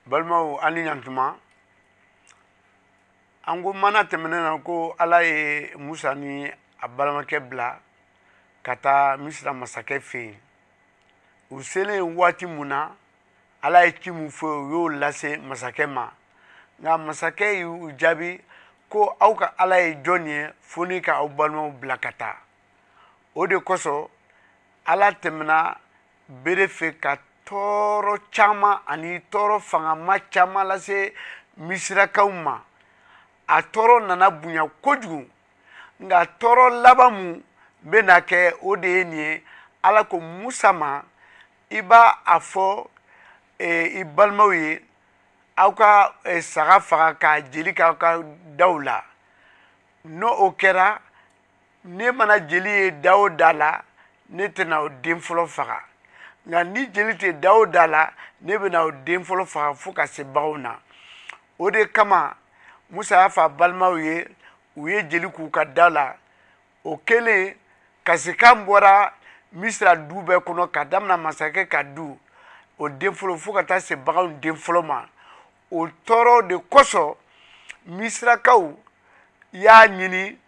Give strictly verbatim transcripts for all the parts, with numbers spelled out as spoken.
Balimaw, an ni ɲantuma. An ko mana tɛmɛnen na ko Ala ye Musa ni a balimakɛ bila ka taa Misira masakɛ fɛ yen. U selen waati mun na, Ala ye ci mun fɔ, u y'o lase masakɛ ma. Nka masakɛ y'u jaabi ko aw ka Ala ye jɔn ye fo ni ka aw balimaw bila ka taa? O de kosɔn Ala tɛmɛna bere fɛ ka tɔɔrɔ caman ani tɔɔrɔ fangama caman lase Misirakaw ma. A tɔɔrɔ nana bonya kojugu, nka tɔɔrɔ laban mun bɛna kɛ, o de ye nin ye. Ala ko Musa ma, i b'a a fɔ i balimaw ye, aw ka saga faga k'a jeli k'aw ka daw la. N'o o kɛra, ne mana jeli ye da o da la, ne tɛna o den fɔlɔ faga. Nka ni jeli tɛ da o da la, ne bɛna o den fɔlɔ faga fo ka se baganw na. O de kama Musa y'a fɔ a balimaw ye, u ye jeli k'u ka da la. O kɛlen, kasikan bɔra Misira du bɛɛ kɔnɔ, ka daminɛ masakɛ ka du o den fɔlɔ fo ka taa se baganw den fɔlɔ ma. O tɔɔrɔ de kosɔn Misirakaw y'a ɲini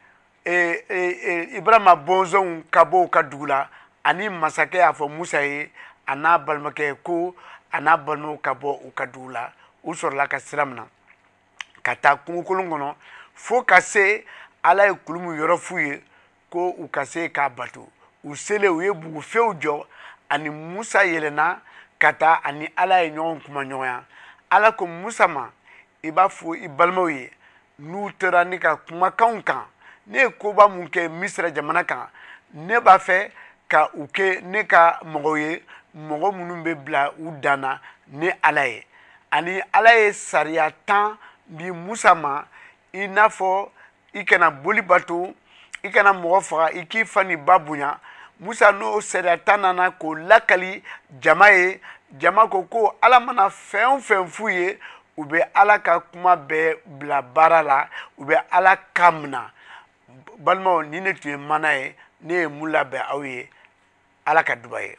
Ibrahima bɔnsɔnw ka bɔ u ka dugu la, ani masakɛ y'a fɔ Musa ye a n'a balimakɛ ko a n'a balimaw ka bɔ u ka dugu la. U sɔrɔla ka sira minɛ ka taa kungokolon kɔnɔ fo ka se Ala ye kulu min yɔrɔ f'u ye ko u ka se k'a bato. U selen, u ye bugufew jɔ, ani Musa yɛlɛnna ka taa ani Ala ye ɲɔgɔn kuma ɲɔgɔnya. Ala ko Musa ma, i b'a fɔ i balimaw ye, n'u tora ne ka kumakanw kan, ne ye koba mun kɛ Misira jamana kan, ne b'a fɛ ka u kɛ ne ka mɔgɔw ye, mɔgɔ minnu bɛ bila u dan na ne Ala ye. Ani Ala ye sariya tan di Musa ma, i n'a fɔ i kana boli bato, i kana mɔgɔ faga, i k'i fa ni ba bonya. Musa n'o sariya tan nana k'o lakali jama ye. Jama ko ko Ala mana fɛn o fɛn f'u ye, u bɛ Ala ka kuma bɛɛ bila baara la, u bɛ Ala kan minɛ. Balimaw, ni ne tun ye mana ye, ne ye mun labɛn aw ye? Ala ka duba ye.